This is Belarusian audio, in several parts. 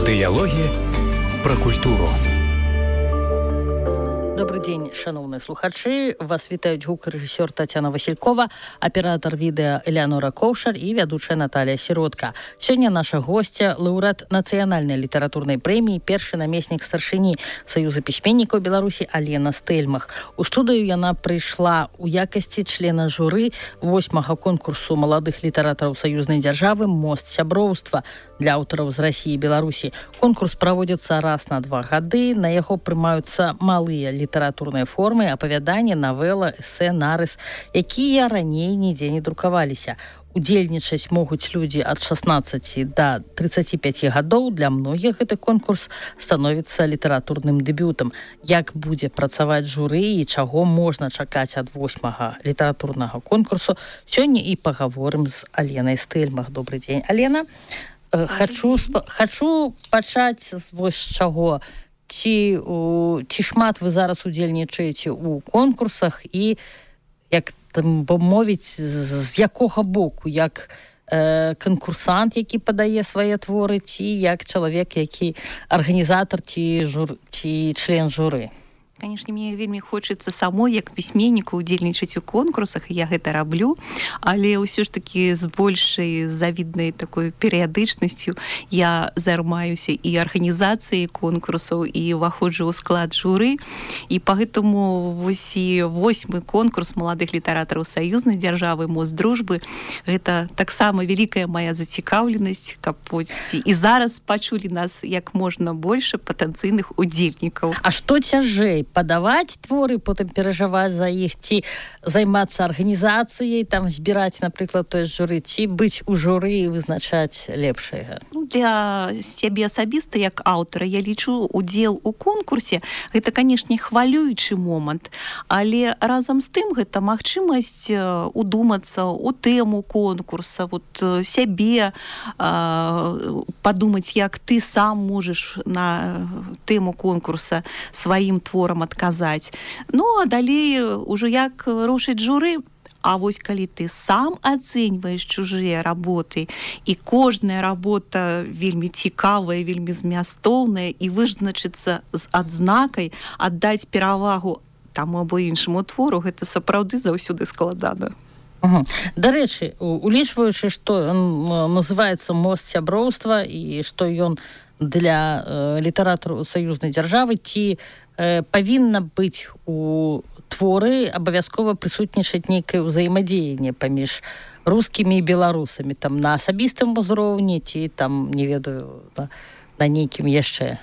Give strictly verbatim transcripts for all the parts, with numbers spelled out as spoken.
Дыялогі пра культуру. Добрый день, шановные слухачи. Вас вітаюць гукарэжысёр Татьяна Василькова, аператор відэа Элеонора Коўшар і вядучая Наталья Сиротка. Сёння наша гостья, лаўрэат нацыянальнай літаратурнай прэміі, першы намеснік старшыні Саюза пісьменнікаў Беларусі Алена Стэльмах. У студыю яна прыйшла ў якасці члена журы восьмага конкурсу маладых літаратараў саюзнай дзяржавы «Мост сяброўства» для аўтараў з Расіі і Беларусі. Конкурс праводзіцца раз на два гады. На яго прымаюцца малыя літаратурныя формы, апавяданне, навела, эсэ, нарыс, якія раней нідзе не друкаваліся. Удзельнічаць могуць людзі ад шаснаццаці да трыццаці пяці гадоў. Для многіх гэты конкурс становіцца літаратурным дэбютам. Як будзе працаваць журы і чаго можна чакаць ад восьмага літаратурнага конкурсу, сёння і пагаворым з Аленай Стэльмах. Добрый дзень, Алена. Хачу, хачу пачаць з вось чаго. Ці, ці шмат вы зараз удзельнічаеце ў конкурсах і, як там мовіць, з якога боку, як э, канкурсант, які падае свае творы, ці як чалавек, які арганізатар, ці, жур, ці член журы? Конечно, мне вельмі хочацца самой, як пісьменніку, удзельнічаць у конкурсах, і я гэта раблю, але ўсё ж такі з большай завіднай такой перыядычнасцю я займаюся і арганізацыяй конкурсаў, і ўваходжу ў склад журы, і пагэтаму вось і восьмы конкурс маладых літаратараў саюзнай дзяржавы «Мост дружбы» гэта таксама вялікая моя зацікаўленасць, каб і зараз пачулі нас як можна больш патэнцыйных удзельнікаў. А што цяжэй? Падаваць творы, потым перажываць за іх, ці займацца арганізацыяй, там збіраць, напрыклад, той журы, ці быць у журы і вызначаць лепшае? Ну, для сябе асабіста, як аўтара, я лічу удзел у конкурсе, гэта, канешне, хвалюючы момант, але разам з тым гэта магчымасць удумацца ў тэму конкурса, вот сябе падумаць, як ты сам можаш на тэму конкурса сваім творам адказаць. Ну, а далей ужо як рушыць журы. А вось калі ты сам ацэньваеш чужыя работы, і кожная работа вельмі цікавая, вельмі змястоўная, і вызначыцца з адзнакай, аддаць перавагу таму або іншаму твору, гэта сапраўды заўсёды складана. Угу. Дарэчы, улічваючы, што ён называецца «Мост сяброўства» і што ён для э, літаратараў саюзнай дзяржавы, ці э, павінна быць у творы абавязкова прысутнічаць нейкае ўзаемадзеянне паміж рускімі і беларусамі, там на асабістым узроўні, ці там, не ведаю, на, на нейкім яшчэ?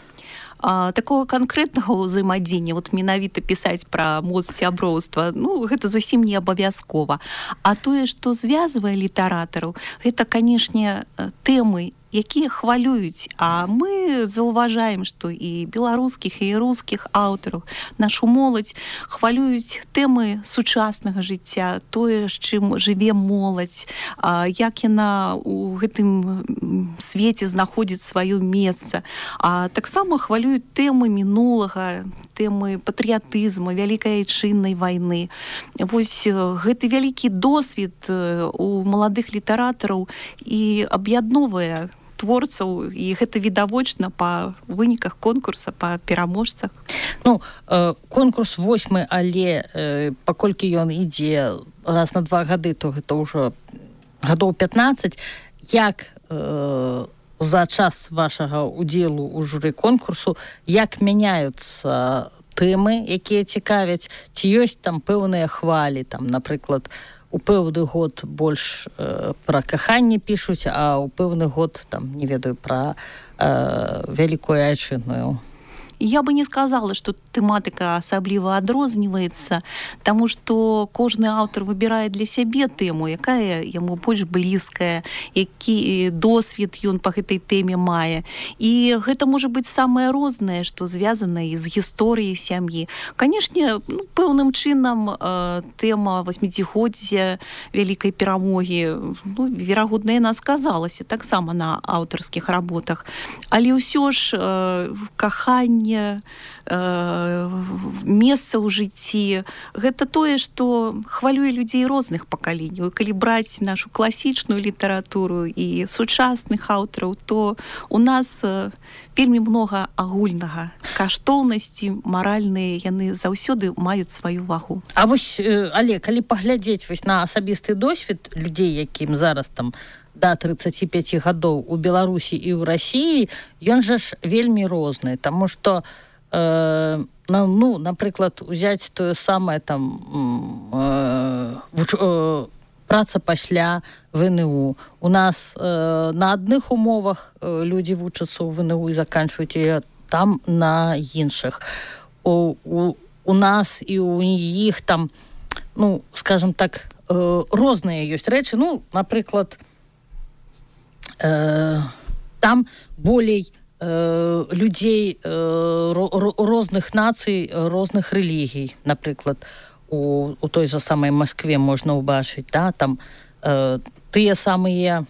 А, такого канкрэтнага ўзаемадзеяння, вот менавіта пісаць пра мост сяброўства, ну, гэта зусім не абавязкова. А тое, што звязвае літаратараў, гэта, канешне, тэмы, якія хвалююць, а мы заўважаем, што і беларускіх, і рускіх аўтараў, нашу моладзь хвалююць тэмы сучаснага жыцця, тое, з чым жыве моладзь, як яна ў гэтым свеце знаходзіць сваё месца. А таксама хвалююць тэмы мінулага, тэмы патрыятызму, вялікай айчыннай вайны. Вось гэты вялікі досвед у маладых літаратараў і аб'ядноўвае творцаў, і гэта відавочна па выніках конкурса, па пераможцах. Ну, э, конкурс восьмы, але э, паколькі ён ідзе раз на два гады, то гэта ўжо гадоў пятнаццаць. Як э, за час вашага удзелу ў журы конкурсу, як мяняюцца тэмы, якія цікавяць, ці ёсць там пэўныя хвалі, там, напрыклад, у пэўны год больш э, пра каханне пішуць, а ў пэўны год, там, не ведаю, пра э, вялікую айчынную. Я бы не сказала, что тэматыка асабліва адрозніваецца, таму што кожны аўтар выбірае для сябе тэму, якая яму больш блізкая, які досвед ён па гэтай тэме мае. І гэта можа быць самае рознае, што звязана і з гісторыяй сям'і. Канешне, ну, пэўным чынам э, тэма васьмідзігоддзя вялікай перамогі, ну, верагодна, яна сказалася таксама на аўтарскіх работах. Але ўсё ж э, каханне, пытанне э, месца ў жыцці. Гэта тое, што хвалюе людзей розных пакаленняў. І калі браць нашу класічную літаратуру і сучасных аўтараў, то у нас вельмі многа агульнага. Каштоўнасці маральныя, яны заўсёды маюць сваю вагу. А вось, але калі паглядзець вось на асабісты досвед людзей, якім зараз там да тридцати пяти гадоў у Беларусі і ў Расіі, ён жа ж вельмі розны, таму што э, ну, напрыклад, узяць тое самае там э, вуч, э, праца пасля ВНУ. У нас э, на адных умовах э, людзі вучацца ў ВНУ і заканчваюць яе, там на іншых. У, у, у нас і у іх там, ну, скажем так, э, розныя ёсць рэчы. Ну, напрыклад, э, там болей э, людзей э, ро, розных нацый, розных рэлігій, напрыклад, у, у той же самай Москве можна ўбачыць, да, там э, тыя самыя,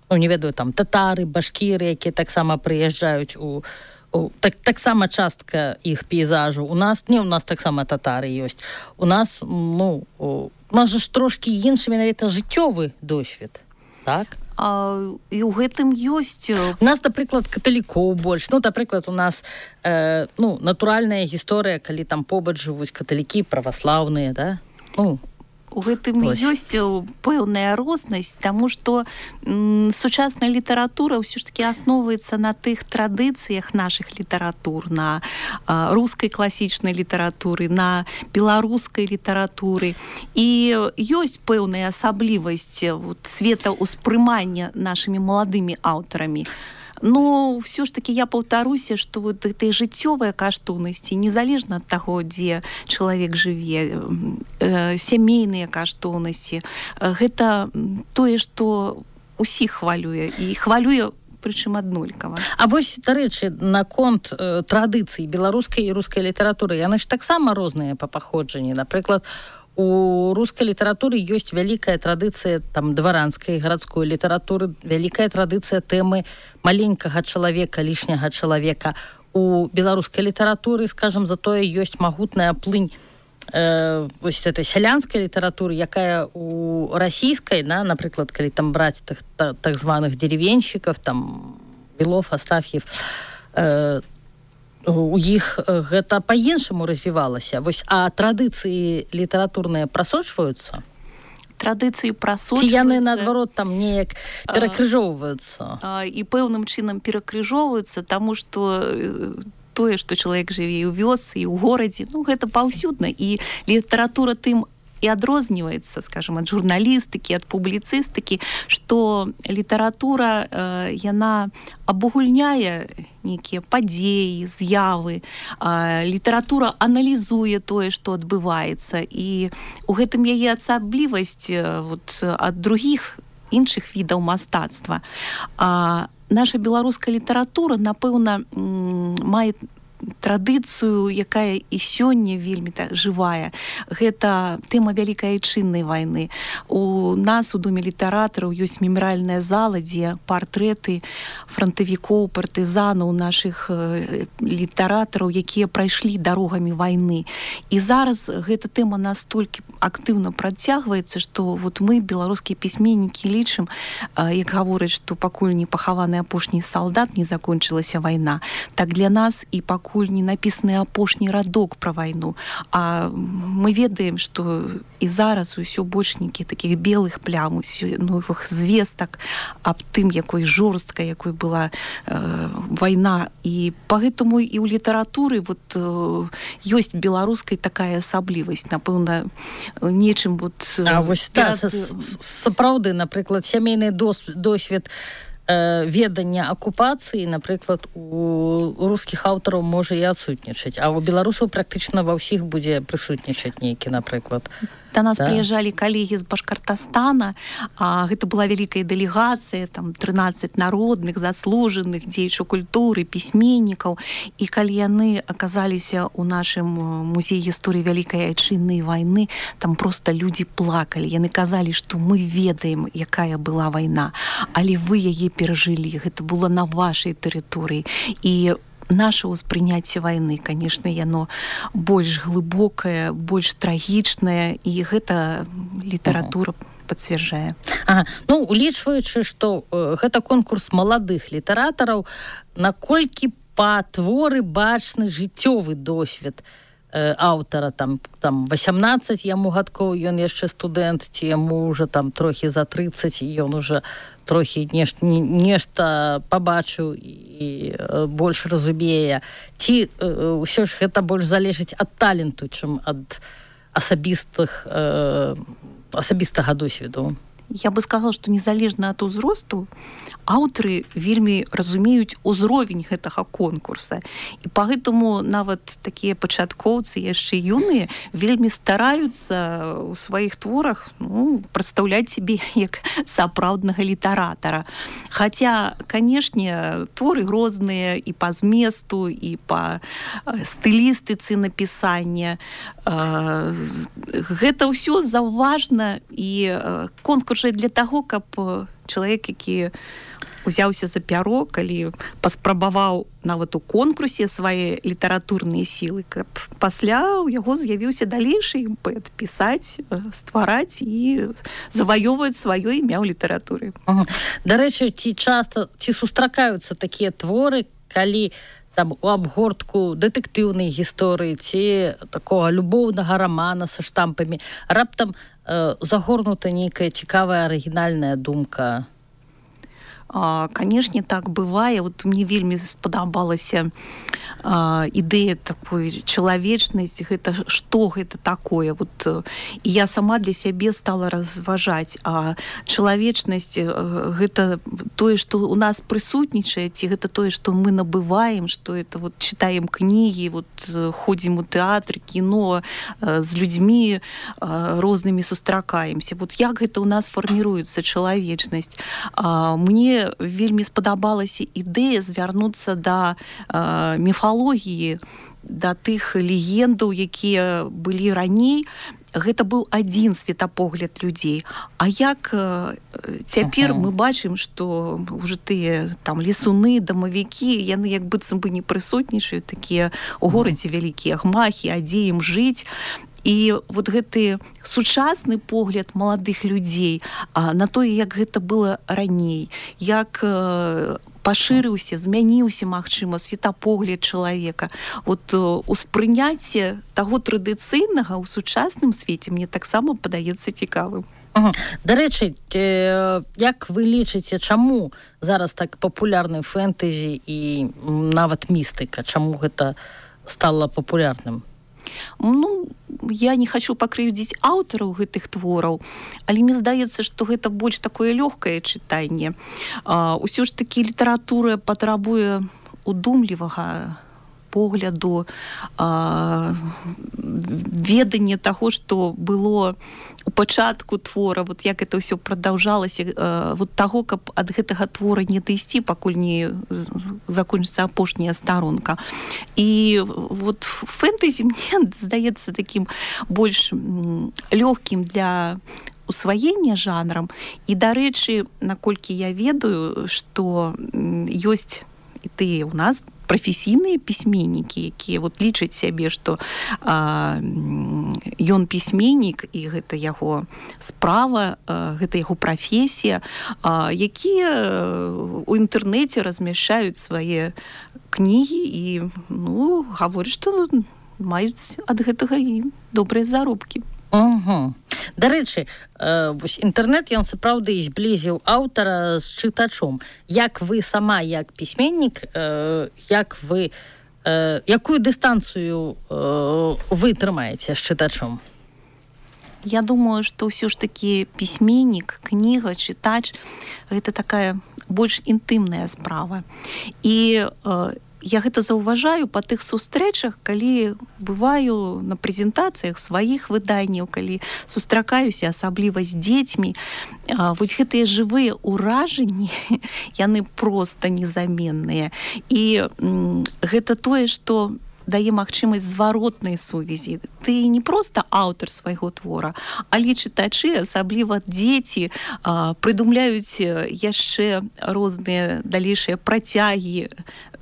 ну, не ведаю, там татары, башкіры, якія таксама прыязджаюць у, у так, таксама частка іх пейзажу. У нас, не, у нас таксама татары ёсць. У нас, ну, у нас же ж трошкі іншы менавіта жыццёвы досвед, так? А, і ў гэтым ёсць... У нас, напрыклад, каталікоў больш. Ну, напрыклад, у нас э, ну, натуральная гісторыя, калі там побач жывуць каталікі, праваслаўныя, да? Ну, у гэтым ёсць пэўная рознасць, таму што м, сучасная літаратура ўсё ж такі асноўваецца на тых традыцыях нашых літаратур, на а, рускай класічнай літаратуры, на беларускай літаратуры. І ёсць пэўная асаблівасць вот, светаўспрымання нашымі маладымі аўтарамі. Но все ж таки я паўтаруся, што вот этой жыццёвыя каштоўнасці, незалежна ад таго, дзе чалавек жыве, э, сямейныя каштоўнасці, гэта тое, што усіх хвалюе, і хвалюе прычым аднолькава. А вось, дарэчы, наконт э, традыцый беларускай і рускай літаратуры, яны ж таксама розныя па паходжанні. Напрыклад, у рускай літаратуры ёсць вялікая традыцыя там дваранскай гарадской літаратуры, вялікая традыцыя тэмы маленькага чалавека, лішняга чалавека. У беларускай літаратуры, скажам, затое ёсць магутная плынь э, вось этой сялянскай літаратуры, якая у расійскай, да, напрыклад, калі там браць так, так, так званых деревенщиков, там Белов, Астафьев, э, у іх гэта па-іншаму развівалася. Вось, а традыцыі літаратурныя прасочваюцца? Традыцыі прасочваюцца. Ці яны, наадварот, там неяк перакрыжоўваюцца? І пэўным чынам перакрыжоўваюцца, таму што тое, што чалавек жыве і ў вёсцы, і ў горадзе, ну, гэта паўсюдна. І літаратура тым і адрозніваецца, скажем, ад журналістыкі, ад публіцыстыкі, што літаратура, э, яна абагульняе нейкія падзеі, з'явы, э, літаратура аналізуе тое, што адбываецца, і у гэтым яе асаблівасць э, вот, ад другіх іншых відаў мастацтва. А наша беларуская літаратура, напэўна, м, мае традыцыю, якая і сёння вельмі так жывая. Гэта тэма вялікай айчыннай вайны. У нас у Доме літаратараў ёсць мемарыяльная зала, дзе партрэты франтавікоў, партызанаў, нашых э, літаратараў, якія прайшлі дарогамі вайны. І зараз гэта тэма настолькі актыўна працягваецца, што вот мы, беларускія пісьменнікі, лічым, э, як гавораць, што пакуль не пахаваны апошні салдат, не закончылася вайна. Так для нас і пакуль не напісаны апошні радок пра вайну. А мы ведаем, што і зараз усё больш нейкіх такіх белых плям, новых звестак аб тым, якой жорсткай, якой была э, вайна. І пагэтаму і ў літаратуры вот, э, ёсць беларускай такая асаблівасць. Напэўна, нечым... Вот, а вось перад... да, сапраўды, напрыклад, сямейны досвед ведання акупацыі, напрыклад, у рускіх аўтараў можа і адсутнічаць, а у беларусаў практычна ва ўсіх будзе прысутнічаць нейкі, напрыклад. Да нас да. прыязджалі калегі з Башкартастана, а, гэта была вялікая дэлегацыя, там трынаццаць народных, заслужаных дзеячаў культуры, пісьменнікаў, і калі яны аказаліся ў нашым музеі гісторыі вялікай айчыннай вайны, там проста людзі плакалі, яны казалі, што мы ведаем, якая была вайна, але вы яе перажылі, гэта было на вашай тэрыторыі. І наше ўспрыняцце вайны, конечно, яно больш глыбокае, больш трагічнае, і гэта літаратура пацвярджае. Ага. Ну, улічваючы, што э, гэта конкурс маладых літаратараў, наколькі па творы бачны жыццёвы досвед э, аўтара, там, там васямнаццаць яму гадкоў, ён яшчэ студэнт, ці яму ўжо там трохі за трыццаць, і ён уже трохі нешта, нешта пабачыў і э, больш разумее. Ці э, ўсё ж гэта больш залежыць ад таленту, чым ад асабістых э, асабістага досведу? Я бы сказала, што незалежна ад узросту аўтары вельмі разумеюць узровень гэтага конкурса. І пагэтаму нават такія пачаткоўцы, яшчэ юныя, вельмі стараюцца ў сваіх творах, ну, прадстаўляць сябе як сапраўднага літаратара. Хаця, канешне, творы розныя і па зместу, і па стылістыцы напісання. Гэта ўсё заўважна, і конкурс для таго, каб чалавек, які узяўся за пяро, калі паспрабаваў нават у конкурсе свае літаратурныя сілы, каб пасля ў яго з'явіўся далейшы імпэт пісаць, ствараць і заваёўваць сваё імя ў літаратуры. Ага. Дарэчы, ці часта, ці сустракаюцца такія творы, калі там у абгортку дэтэктыўнай гісторыі ці такога любоўнага рамана са штампамі раптам э, загорнута нейкая цікавая арыгінальная думка? Канешне, так бывае. Вот мне вельмі спадабалася а, ідэя такой чалавечнасць, гэта што гэта такое. Вот, і я сама для сябе стала разважаць, а чалавечнасць гэта тое, што у нас прысутнічае, ці гэта тое, што мы набываем, што это вот чытаем кнігі, вот ходзім у тэатр, кіно, з людзьмі рознымі сустракаемся. Вот як гэта ў нас фарміруецца чалавечнасць? А, мне вельмі спадабалася ідэя звярнуцца да э, міфалогіі, да тых легендаў, якія былі раней. Гэта быў адзін светапогляд людзей. А як э, цяпер uh-huh. мы бачым, што ўжо тыя там лесуны, дамавікі, яны як быццам бы не прысутнічаюць, такія у горадзе вялікія гмахі, а дзе ім жыць. І вот гэты сучасны погляд маладых людзей а, на тое, як гэта было раней, як э, пашырыўся, змяніўся, магчыма, светапогляд чалавека. Вот э, успрыняцце таго традыцыйнага ў сучасным свеце мне таксама падаецца цікавым. Ага. Дарэчы, э, як вы лічыце, чаму зараз так папулярны фэнтэзі і нават містыка? Чаму гэта стала папулярным? Ну, я не хочу пакрыўдзіць аўтараў гэтых твораў, але мне здаецца, што гэта больш такое лёгкае чытанне. А, усё ж такі літаратура патрабуе удумлівага погляду, а, ведання таго, што было у пачатку твора, вот як это ўсё прадаўжалася, а, вот таго, каб ад гэтага твора не дайсці, пакуль не закончыцца апошняя старонка. І вот фэнтэзі мне здаецца такім больш лёгкім для усваення жанрам. І, дарэчы, наколькі я ведаю, што ёсць і тыя ў нас прафесійныя пісьменнікі, якія вот лічаць сябе, што а, ён пісьменнік, і гэта яго справа, а, гэта яго прафесія, а, якія у інтэрнэце размяшчаюць свае кнігі і, ну, гавораць, што маюць ад гэтага і добрыя заробкі. Угу. Дарэчы, э, вось інтэрнэт, ён сапраўды зблізіў аўтара з чытачом. Як вы сама, як пісьменнік, э, як вы, э, якую дыстанцыю э, вы трымаеце з чытачом? Я думаю, што ўсё ж такі пісьменнік, кніга, чытач — гэта такая больш інтымная справа. І э, я гэта заўважаю па тых сустрэчах, калі бываю на прэзентацыях сваіх выданняў, калі сустракаюся асабліва з дзецьмі. Вось гэтыя жывыя ўражанні, яны проста незаменныя. І м, гэта тое, што дае магчымасць зваротнай сувязі. Ты не проста аўтар свайго твора, але чытачы, асабліва дзеці, прыдумляюць яшчэ розныя далейшыя працягі,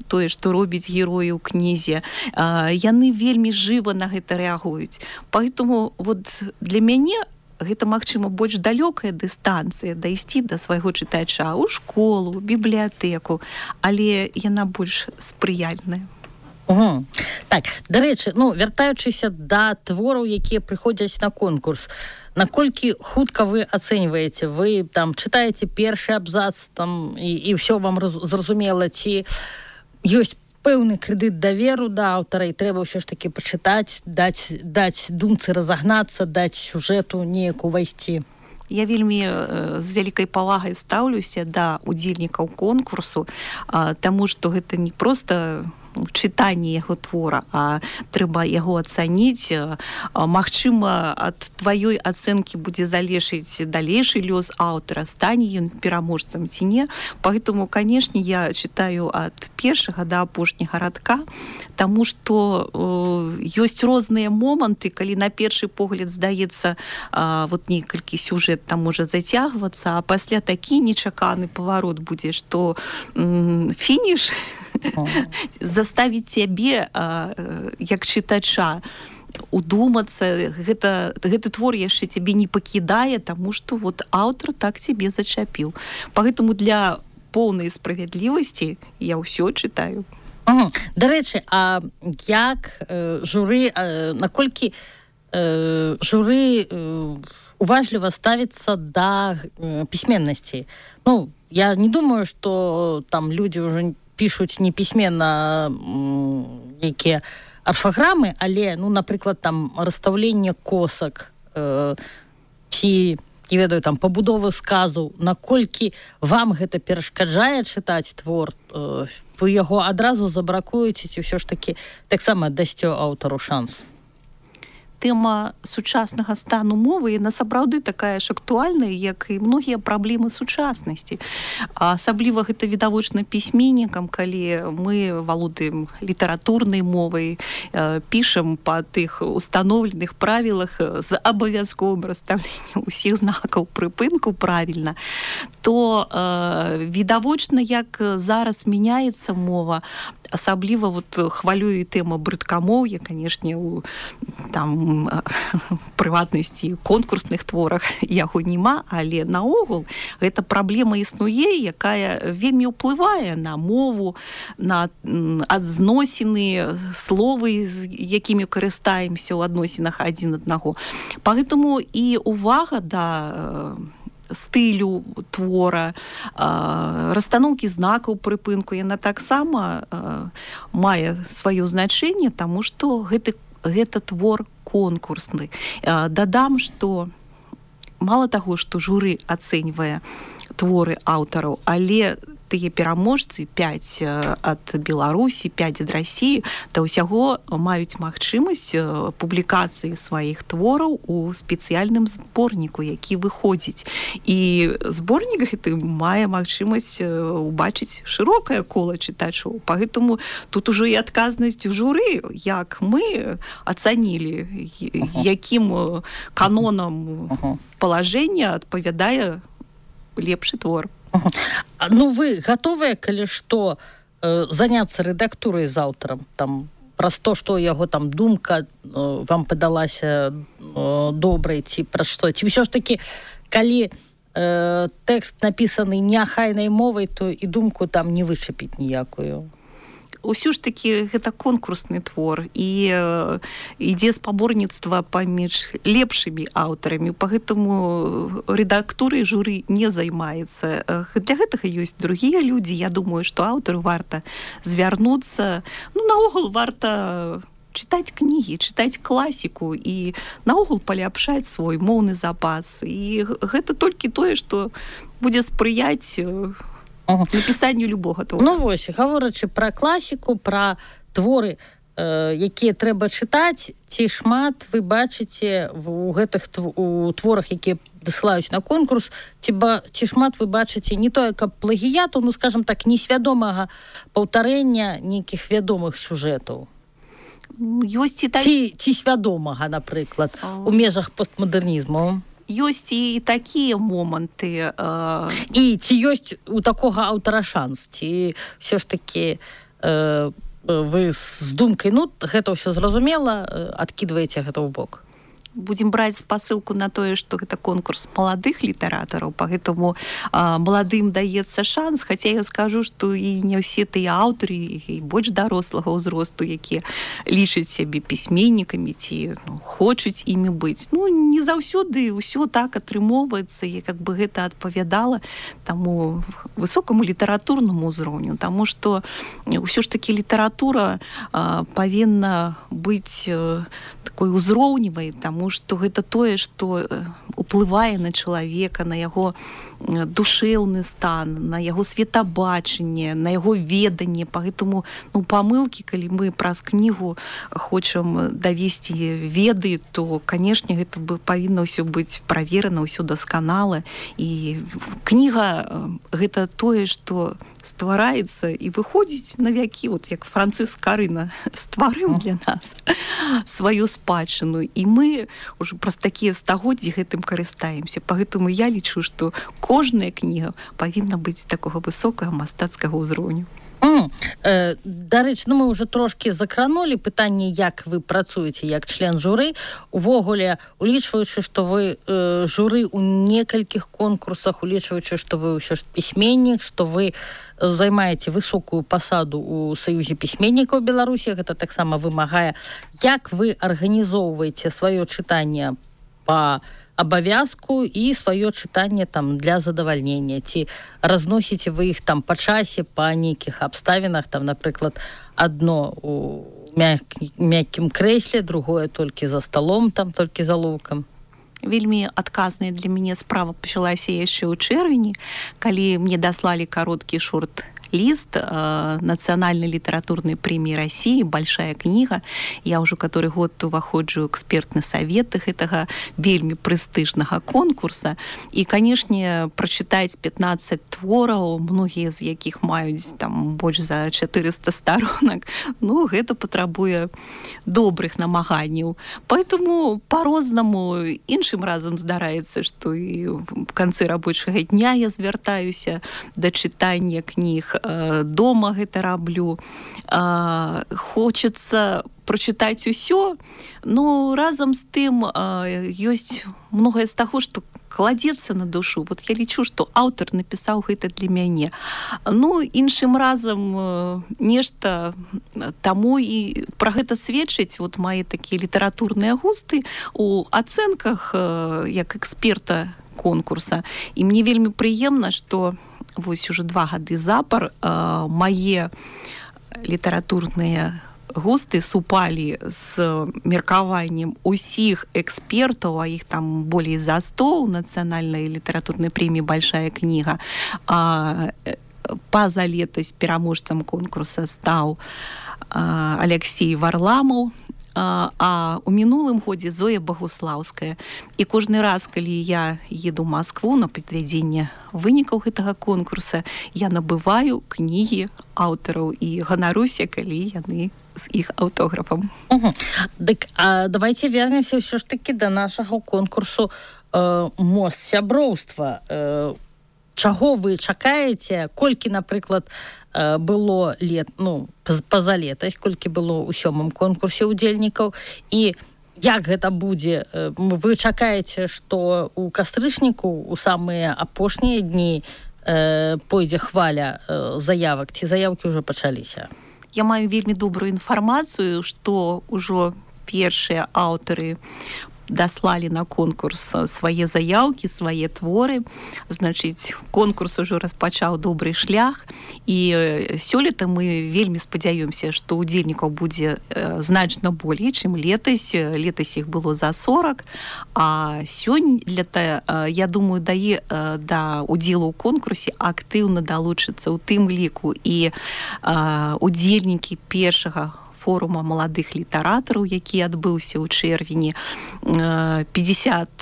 тое, што робіць героі ў кнізе. Яны вельмі жыва на гэта рэагуюць. Поэтому вот для мяне гэта, магчыма, больш далёкая дыстанцыя дайсці да свайго чытача ў школу, бібліятэку, але яна больш спрыяльная. Угу. Так, дарэчы, ну, вяртаючыся да твораў, якія прыходзяць на конкурс, наколькі хутка вы ацэньваеце? Вы там чытаеце першы абзац там, і, і ўсё вам зразумела, ці ёсць пэўны крэдыт даверу да аўтара, і трэба ўсё ж такі пачытаць, даць, даць думцы разагнацца, даць сюжэту неяк увайсці? Я вельмі з вялікай павагай стаўлюся да удзельнікаў конкурсу, таму што гэта не проста чытанне яго твора, а трэба яго ацаніць. Магчыма, ад тваёй ацэнкі будзе залежыць далейшы лёс аўтара, стане ён пераможцам ці не. Поэтому, канешне, я чытаю ад першага да апошняга радка, таму што э, ёсць розныя моманты, калі на першы погляд здаецца, э, вот некалькі сюжэт там можа зацягвацца, а пасля такі нечаканы паварот будзе, што э, фініш заставіць цябе, як чытача, удумацца, гэта, гэты твор яшчэ цябе не пакідае, таму што вот аўтар так цябе зачапіў. Поэтому для поўнай справядлівасці я ўсё чытаю. Угу. Дарэчы, а як э, журы, э, наколькі э, журы э, уважліва ставіцца да э, пісьменнасці? Ну, я не думаю, што там людзі ўжо пишуть не пісьменна якія арфаграмы, але, ну, напрыклад, там расстаўленне косак, э, ці, не ведаю, там пабудовы сказу, наколькі вам гэта перашкаджае чытаць твор, э, вы яго адразу забракуеце, ці ўсё ж такі таксама дасце аўтару шанс? Тэма сучаснага стану мовы, яна сапраўды такая ж актуальная, як і многія праблемы сучаснасці. Асабліва гэта відавочна пісьменнікам, калі мы валодаем літаратурнай мовай, пішам па тых установленых правілах з абавязковым расстаўленнем усіх знакаў прыпынку правільна, то э, відавочна, як зараз мяняецца мова, асабліва вот хвалюе тэма брыдкамоўя, канешне, у там прыватнасці конкурсных творах яго няма, але наогул гэта праблема існуе, якая вельмі ўплывае на мову, на адзносіны, словы, з якімі карыстаемся ў адносінах адзін аднаго. Поэтому і увага да стылю твора, расстаноўкі знакаў прыпынку, яна таксама мае сваё значэнне, таму што гэты, гэта твор конкурсны. Дадам, што мала таго, што журы ацэньвае творы аўтараў, але тыя пераможцы, пяць ад Беларусі, пяць ад Расіі, да ўсяго маюць магчымасць публікацыі сваіх твораў у спецыяльным зборніку, які выходзіць. І зборнік гэты мае магчымасць убачыць шырокае кола чытачоў. Поэтому тут ужо і адказнасць журы, як мы ацанілі, якім канонам палажэння адпавядае лепшы твор. Ну, вы гатовыя, калі што, э, заняцца рэдактурай з аўтарам, там, праз то, што яго там думка э, вам падалася э, добрай, ці праз што? Ці ўсё ж такі, калі э, тэкст напісаны неахайнай мовай, то і думку там не вычапіць ніякую? Усё ж такі гэта конкурсны твор, і э, ідзе спаборніцтва паміж лепшымі аўтарамі, пагэтаму рэдактурай журы не займаецца. Для гэтага ёсць другія людзі. Я думаю, што аўтару варта звярнуцца. Ну, наогул варта чытаць кнігі, чытаць класіку і наогул паляпшаць свой моўны запас. І гэта толькі тое, што будзе спрыяць напісанню любога твора. Ну вось, гаворачы пра класіку, пра творы, э, якія трэба чытаць, ці шмат вы бачыце у гэтых у творах, якія дасылаюць на конкурс, ці, ба, ці шмат вы бачыце не тое, каб плагіяту, ну, скажам так, несвядомага паўтарэння нейкіх вядомых сюжэтаў? Ёсць і так... ці, ці свядомага, напрыклад, у межах постмадэрнізму. Ёсць і такія моманты. Э... І ці ёсць у такога аўтара шанс, ці ўсё ж такі э, вы з думкай, ну, гэта ўсё зразумела, адкідваеце гэта ў бок? Будем браць спасылку на тое, што гэта конкурс маладых літаратараў, поэтому а, маладым даецца шанс, хаця я скажу, што і не ўсе тыя аўтары і больш дарослага ўзросту, якія лічаць сябе пісьменнікамі ці ну, хочуць імі быць. Ну, не заўсёды ўсё так атрымоўваецца, і як бы гэта адпавядала таму высокаму літаратурнаму ўзроўню, таму што ўсё ж такі літаратура а, павінна быць а, такой узроўневай, таму Таму што гэта тое, што уплывае на чалавека, на яго душэўны стан, на яго светабачанне, на яго веданне. Паэтому ну, памылкі, калі мы праз кнігу хочам давесці веды, то, канешне, гэта бы павінна ўсё быць праверана, ўсё дасканала. І кніга гэта тое, што ствараецца і выходзіць на вякі, вот як Францыск Скарына стварыў для нас сваю спадчыну. І мы уже праз такія стагоддзі гэтым карыстаемся. Паэтому я лічу, што кожная кніга павінна быць такога высокага мастацкага ўзроўню. Mm. Э, дарэчы, ну мы уже трошки закранули пытанне, як вы працуеце як член журы. Увогуле, улічваючы, што вы э, журы ў некалькіх конкурсах, улічваючы, што вы ўсё ж пісьменнік, што вы займаеце высокую пасаду ў Саюзе пісьменнікаў Беларусі, гэта таксама вымагае. Як вы арганізоўваеце сваё чытанне па абавязку і сваё чытанне там для задавальнення, ці разносіце вы іх там па часе, па нейкіх абставінах, там, напрыклад, адно у мяккім крэсле, другое толькі за сталом, там толькі за лоўкам? Вельмі адказная для мяне справа пачалася яшчэ ў чэрвені, калі мне даслалі кароткі шорт лист э, Национальной литературной премии России, большая книга. Я уже который год уваходжу ў экспертны совет гэтага вельмі прэстыжнага конкурса. І, канешне, прачытаць пятнаццаць твораў, многія з якіх маюць там больш за чатырыста старонак, ну, гэта патрабуе добрых намаганняў. Поэтому по-рознаму іншым разам здараецца, што і в канцы рабочага дня я звяртаюся да чытання кніг, дома гэта раблю. Хочацца прачытаць усё, но разам з тым ёсць многае з таго, што кладзецца на душу. Вот я лічу, што аўтар напісаў гэта для мяне. Ну, іншым разам нешта таму і пра гэта сведчыць вот мае такія літаратурныя густы у ацэнках як эксперта конкурса. І мне вельмі прыемна, што вось уже два гады запар э, мае літаратурныя густы супалі з меркаваннем усіх экспертаў, а іх там болей за сто ў нацыянальнай літаратурнай прэміі «Большая кніга». А, паза летась пераможцам конкурса стаў а, Алексей Варламаў, а, а у мінулым годзе Зоя Багуслаўская. І кожны раз, калі я еду ў Маскву на падвядзенне вынікаў гэтага конкурса, я набываю кнігі аўтараў і ганаруся, калі яны з іх аўтографам. Угу. Дык, а давайте вернемся ўсё ж таки до нашага конкурсу э, «Мост сяброўства». Э, чаго вы чакаеце? Колькі, напрыклад, было лет, ну, пазалетась, колькі было ў сёмым конкурсе удзельнікаў, і як гэта будзе? Вы чакаеце, што ў кастрычніку у самыя апошнія дні э, пойдзе хваля э, заявак, ці заявкі ўжо пачаліся? Я маю вельмі добрую інфармацыю, што ўжо першыя аўтары даслалі на конкурс свае заяўкі, свае творы. Значыць, конкурс ужо распачаў добры шлях, і сёлета мы вельмі спадзяёмся, што удзельнікаў будзе значна болей, чым летась. Летась іх было за сорок, а сёння, я думаю, дае да удзелу ў конкурсе актыўна далучыцца ў тым ліку і удзельнікі першага форума маладых літаратараў, які адбыўся ў чэрвені. пятьдесят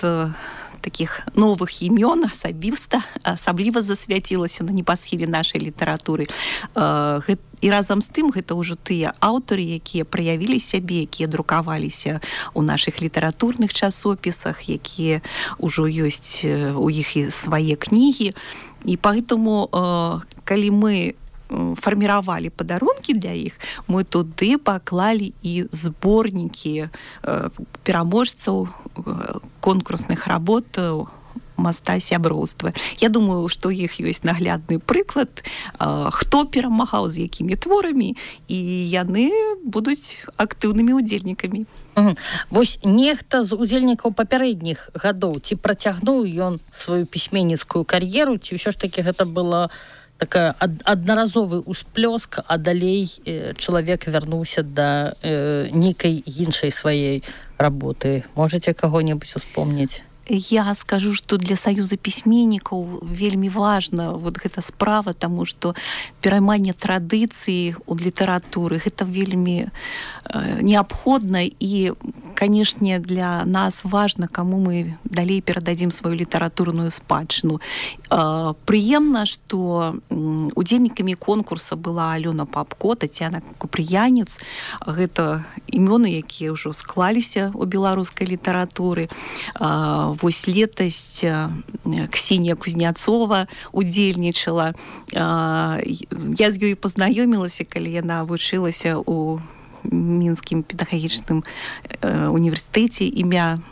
таких новых імён асабіста, асабліва засвяцілася на небасхіле нашай літаратуры. І разам з тым гэта ўжо тыя аўтары, якія праявілі сябе, якія друкаваліся ў нашых літаратурных часопісах, якія ўжо ёсць у іх і свае кнігі. І поэтому, калі мы фарміравалі падарункі для іх, мы туды паклалі і зборнікі пераможцаў конкурсных работ моста сяброўства. Я думаю, што у іх ёсць наглядны прыклад, хто перамагаў, з якімі творамі, і яны будуць актыўнымі удзельнікамі. Угу. Вось нехта з удзельнікаў папярэдніх гадоў, ці працягнуў ён сваю пісьменніцкую кар'еру, ці ўсё ж такі гэта была такая аднаразовы ўсплёск, а далей э, чалавек вярнуўся да э, нейкай іншай сваёй работы. Можаце каго-небудзь успомніць? Я скажу, што для саюза пісьменнікаў вельмі важна вот гэта справа, таму што перайманне традыцыі ў літаратуры гэта вельмі э, неабходна, і, канешне, для нас важна, каму мы далей перададзім сваю літаратурную спадчыну. Э, прыемна, што удзельнікамі конкурса была Алёна Папко, Тацяна Купрыянец. Гэта імёны, якія ўжо склаліся ў беларускай літаратуры. Э, Вось летась Ксенія Кузняцова удзельнічала. Я з ёй пазнаёмілася, калі яна вучылася ў Мінскім педагагічным універсітэце імя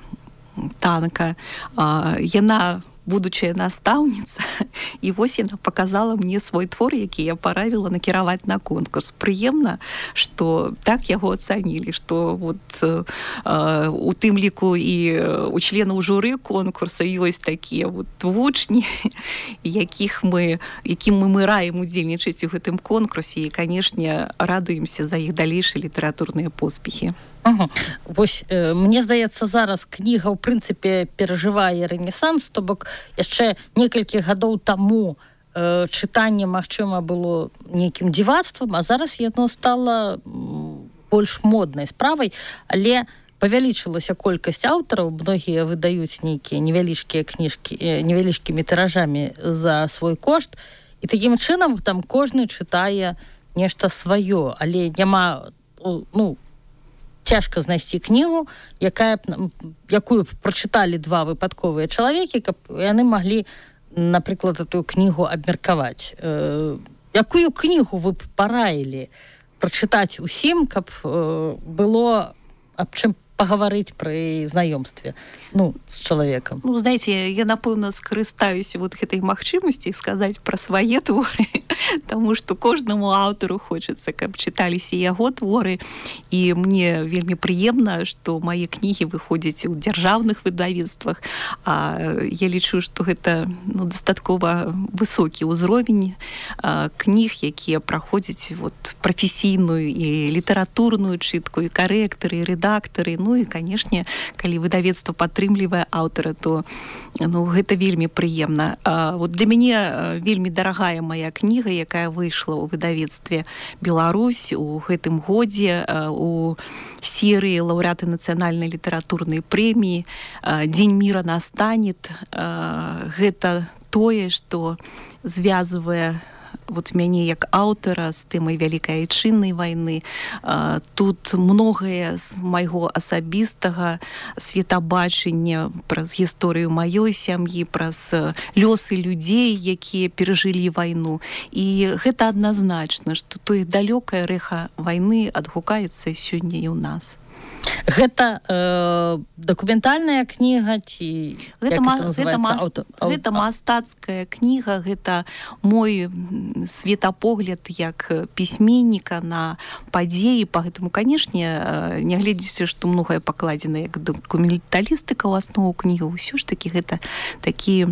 Танка. Яна будучая настаўніца, і вось яна показала мне свой твор, які я паравіла накіраваць на конкурс. Прыемна, што так яго ацанілі, што вот э, у тым ліку і у членаў журы конкурса ёсць такія вот вучні, якіх мы, якім мы, мы раім удзельнічаць у гэтым конкурсе, і, канешне, радуемся за іх далейшыя літаратурныя поспехі. Угу. Вось, э, мне здаецца, зараз кніга, ў прынцыпе, перажывае рэнесанс, то бок яшчэ некалькі гадоў таму э, чытанне, магчыма, было нейкім дзівацтвам, а зараз яно стала больш моднай справай, але павялічылася колькасць аўтараў, многія выдаюць нейкія невялічкія кніжкі э, невялічкімі тыражамі за свой кошт, і такім чынам там кожны чытае нешта сваё, але няма, ну, цяжка знайсці кнігу, якая, якую б прачыталі два выпадковыя чалавекі, каб яны маглі, напрыклад, эту кнігу абмеркаваць. Э, якую кнігу вы б параілі прачытаць усім, каб э, было аб чым пагаварыць пры знаёмстве, ну, з чалавекам? Ну, знаете, я, напэўна, скарыстаюся вот гэтай магчымасці сказаць пра свае творы, таму што кожнаму аўтару хочацца, каб чыталіся яго творы, і мне вельмі прыемна, што мае кнігі выходзяць у дзяржаўных выдавецтвах, а я лічу, што гэта, ну, дастаткова высокі ўзровень а, кніг, якія праходзяць вот прафесійную і літаратурную чытку, і карэктары, і рэдактары. Ну і, канешне, калі выдавецтва падтрымлівае аўтара, то, ну, гэта вельмі прыемна. А, вот для мяне вельмі дарагая мая кніга, якая выйшла ў выдавецтве «Беларусь» у гэтым годзе у серыі лаўрэаты нацыянальнай літаратурнай прэміі «Дзень мира настанет». Гэта тое, што звязвае вот мяне як аўтара з тэмай вялікай айчыннай вайны. Тут многае з майго асабістага светабачання праз гісторыю маёй сям'і, праз лёсы людзей, якія перажылі вайну. І гэта адназначна, што тое далёкае рэха вайны адгукаецца сёння і ў нас. Гэта э, дакументальная кніга ці гэта, ма, гэта, мас, Ауто, ау... гэта мастацкая кніга, гэта мой светапогляд як пісьменніка на падзеі, поэтому, канешне, нягледзячы, што многае пакладзена як дакументалістыка ў аснову кнігі, ўсё ж такі гэта такі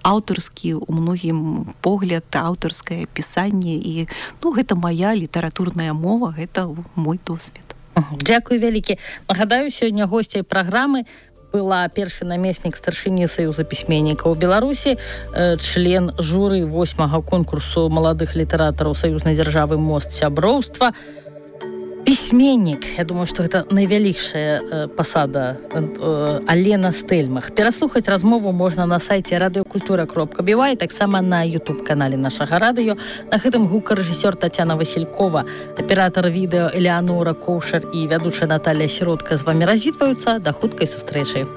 аўтарскі у многім погляд, аўтарскае пісанне, і, ну, гэта моя літаратурная мова, гэта мой досвед. Дзякуй вялікі. Нагадаю, сёння госцяй праграмы была першы намеснік старшыні Саюза пісьменнікаў Беларусі, член журы восьмага конкурсу маладых літаратараў саюзнай дзяржавы «Мост сяброўства», Пісьменнік, я думаю, што гэта найвялікшая э, пасада э, Алена Стэльмах. Пераслухаць размову можна на сайце радыёкультура кропка бі вай, таксама на ютуб-канале нашага радыё. На гэтым гукарэжысёр Тацяна Васількова, аператар відэа Элеанора Коўшар і вядучая Наталія Сіротка з вамі развітваюцца. Да хуткай сустрэчы.